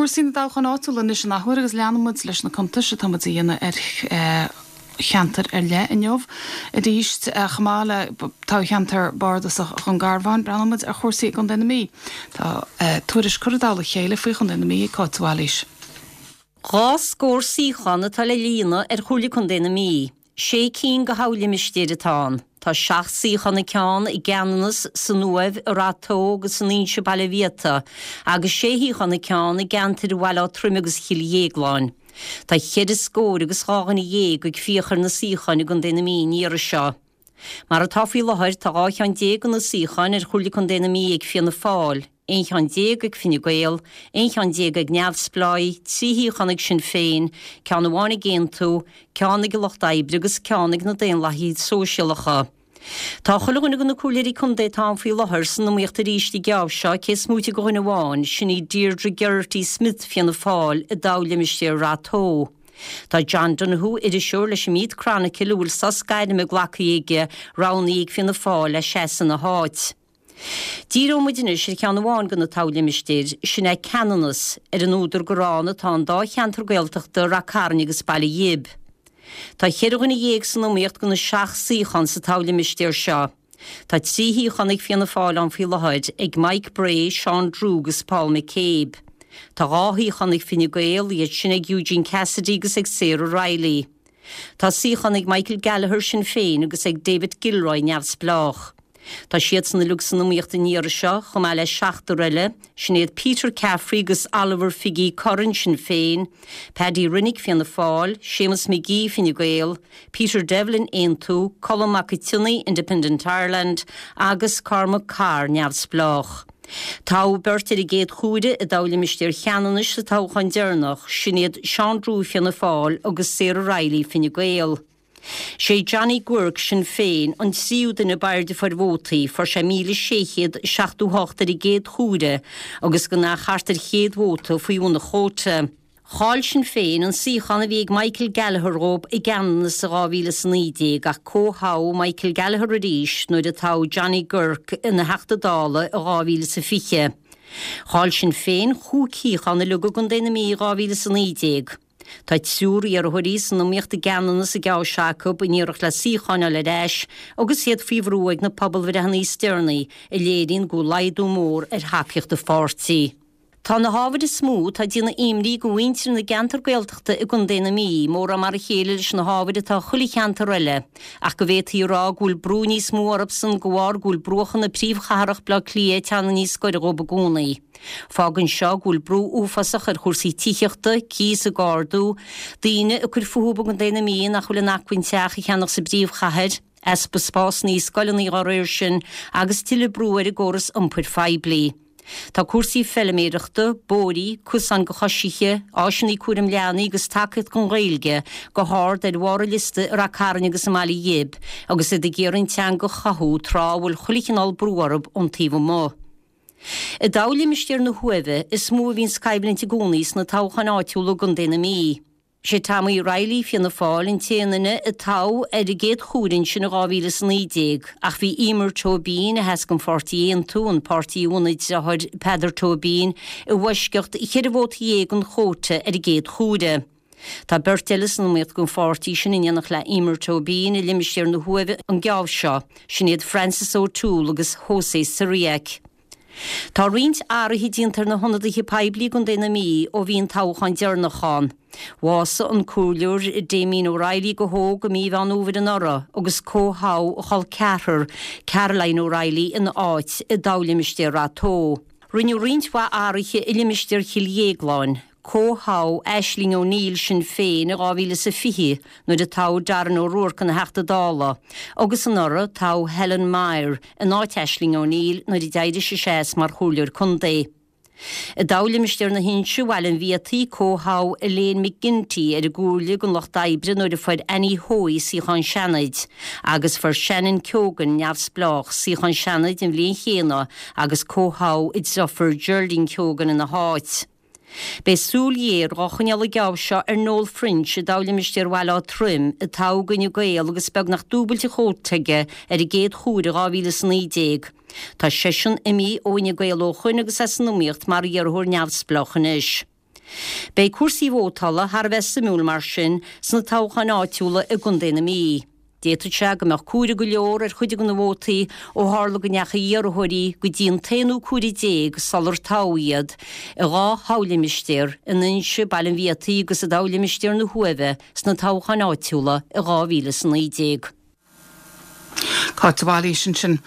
Cúrsaí na dtoghchán áitiúil anois an athuair agus leanann muid leis na cuntais atá muid a dhéanamh ar cheantair ar leith inniu arís. Chomh maith le toghcheantar bardasach Dhún Garbhán, breathnóidh muid ar chúrsaí i gContae na Mí. Tá tuairisc curtha i dtoll a chéile faoi Chontae na Mí ag Cáit de Bhailís. 20 suíochán atá le líonadh ar Chomhairle Contae na Mí. Sé cinn de thoghlimistéir atá ann. Tá 7 suíochán an ceann i gCeanannas, san Uaimh, i Rath Tó agus san Inse Baile Mhiota, agus sé shuíochán an ceann i gceantair Bhaile Átha Troim agus Chill Dhéagláin. Tá cheithre scór agus 12 dhuine ag fiach ar na suíocháin i gContae na Mí an iarraidh seo. Mar atá faoi láthair, tá 12 cheann de na suíocháin ar Chomhairle Contae na Mí ag Fianna Fáil, 11 cheann ag Fine Gael, 11 cheann ag Neamhspleáigh, 3 shuíochán ag Sinn Féin, ceann amháin ag Aontú, ceann ag an Lucht Oibre agus ceann ag na Daonlathaithe Sóisialacha. Tá chuile dhuine de na comhairleoirí contae atá ann faoi láthair san iomaíocht arís an geábh seo, cé is móite de dhuine amháin, sin í Deirdre Geraghty Smith, Fianna Fáil, i dtoghlimistéar Rath Tó. Tá John Donoghue, iriseoir leis an Meath Chronicle a bhfuil sos gairme glactha aige, roghnaithe ag Fianna Fáil le seasamh ina háit. Díreoidh muid anois ar cheann amháin de na toghlimistéir, sin é Ceanannas, ar an údar gur ann atá an dá cheantar Gaeltachta, Rath Cairn agus Baile Ghib. Tá cheithre dhuine dhéag san iomaíocht do na seacht suíochán sa toghlimistéar seo. Tá 3 shuíochán ag Fianna Fáil ann faoi láthair, ag Mike Bray, Seán Drew agus Paul McCabe. Tá dhá shuíochán ag Fine Gael, iad sin ag Eugene Cassidy agus ag Sarah Reilly. Tá suíochán ag Michael Gallagher, Sinn Féin, agus ag David Gilroy, Neamhspleách. Tá siadsan uilig san iomaíocht an iarraidh seo, chomh maith le seachtar eile, sin iad Peter Caffrey agus Oliver Figgy Curran, Sinn Féin, Paddy Rinnick, Fianna Fáil, Séamus McGee, Fine Gael, Peter Devlin, Aontú, Colm Mac Tionnaith, Independent Ireland, agus Cormac Carr, Neamhspleách. Toghadh beirt ar an gcéad chuaire i dtoghlimistéar Cheanannais sa toghchán deireanach, sin iad Seán Drew, Fianna Fáil, agus Sarah Reilly, Fine Gael. Sé Johnny Guirke, Sinn Féin, an tríú duine ab airde a fuair vótaí, fuair sé 1,678 ar an gcéad chuaire agus gan ach thart ar chéad vóta faoi bhun an chóta. Chaill Sinn Féin an suíochán a bhí ag Michael Gallagher dhóibh i gCeanannas i 2019 ach comhthoghadh Michael Gallagher arís nuair a toghadh Johnny Guirke ina Theachta Dála i 2020. Chaill Sinn Féin chúig shuíochán uilig i gContae na Mí i 2019. Tá triúr iarrthóirí san iomaíocht i gCeanannas an geábh seo acu in iarracht le suíocháin a fháil ar ais agus iad faoi bhrú ag na pobalbhreitheanna is deireanaí a léiríonn go bhfuil laghdú mór ar thacaíocht an pháirtí. Tá na hábhair is mó atá ag déanamh imní do mhuintir na gceantar Gaeltachta i gContae na Mí, mórán mar a chéile leis na hábhair atá chuile cheantar eile, ach go bhféadfaí a rá go bhfuil brú níos mó orthusan de bharr go bhfuil bruacha na príomhchathrach Baile Átha Cliath ag teannadh níos gaire dhóibh i gcónaí. Fágann seo go bhfuil brú uafásach ar chúrsaí tithíochta, cíos ag ardú, daoine ag cur fúthu i gContae na Mí nach bhfuil in acmhainn teach a cheannach sa bpríomhchathair, easpa spásanna i scoileanna dá réir sin agus tuilleadh brú ar an gcóras iompair phoiblí. Tá cúrsaí feiliméireachta, bóithrí, cosáin do choisithe, áiseanna cúraim leanaí agus tacaíocht don Ghaeilge go hard ar bharr an liosta i Rath Cairn agus i mBaile Ghib agus iad ag iarraidh an teanga a chothú tráth a bhfuil chuile chineál brú orthu ón taobh amuigh. I dtoghlimistéar na hUaimhe is mó a bhíonns coimhlint i gcónaí sna toghcháin áitiúla i gContae na Mí. Sé Tommy Reilly, Fianna Fáil, an t-aon duine a toghadh ar an gcéad chuaire ansin in 2019, ach bhí Emer Tóibín, a sheas don pháirtí Aontú, an páirtí a bhunaigh a deartháir Peadar Tóibín, i bhfoisceacht cheithre vóta dhéag den chóta ar an gcéad chuaire. Tá beirt eile san iomaíocht don pháirtí sin in éineacht le Emer Tóibín i limistéar na hUaimhe an geábh seo, sin iad Francis O'Toole agus Jose Cyriac. Tá roinnt athruithe déanta ar na hionadaithe poiblí i gContae na Mí ó bhí an toghchán deireanach ann. Bhásaigh an Comhairleoir Damien O'Reilly go hóg i mí Mheán Fhómhair anuraidh agus comhthoghadh a chol ceathrar, Caroline O'Reilly, ina áit i dtoghlimistéar Rath Tó. Rinneadh roinnt mhaith athruithe i limistéar Chill Dhéagláin. Comhthoghadh Aisling O'Neill, Sinn Féin, i 2020 nuair a toghadh Darren O'Rourke ina Theachta Dála, agus anuraidh toghadh Helen Maher in áit Aisling O'Neill nuair a d'éirigh sise as mar Chomhairleoir Contae. I dtoghlimistéar na hInse, Bhaile an Bhiataigh, comhthoghadh Elaine McGinty ar an gComhairle don Lucht Oibre nuair a fuair Annie Hoey suíochán Seanaid, agus fuair Shannon Keoghan, Neamhspleách, suíochán Seanaid an bhliain chéanna agus comhthoghadh a deirfiúr Geraldine Keoghan ina háit. Beidh súil ghéar dhá choinneáil an geábh seo ar Noel French i dtoghlimistéar Bhaile Átha Troim, a toghadh d'Fhine Gael agus beagnach dúbailt an chóta aige ar an gcéad chuaire i 2019. Tá seisean imithe ó Fhine Gael ó shoin agus é san iomaíocht mar iarrthóir neamhspleách anois. Beidh cúrsaí vótála thar a bheith suimiúil mar sin sna toghcháin áitiúla i gContae na Mí. D'fhéadfadh sé go mbeadh comhaireamh go leor ar chuid de na vótaí ó tharla go ndeachaigh iarrthóirí go dtí an t-aonú comhaireamh déag sular toghadh iad i dhá thoghlimistéar, in Inse, Baile an Bhiataigh agus i dtoghlimistéar na hUaimhe sna toghcháin áitiúla i 2019. Cáit de Bhailís ansin.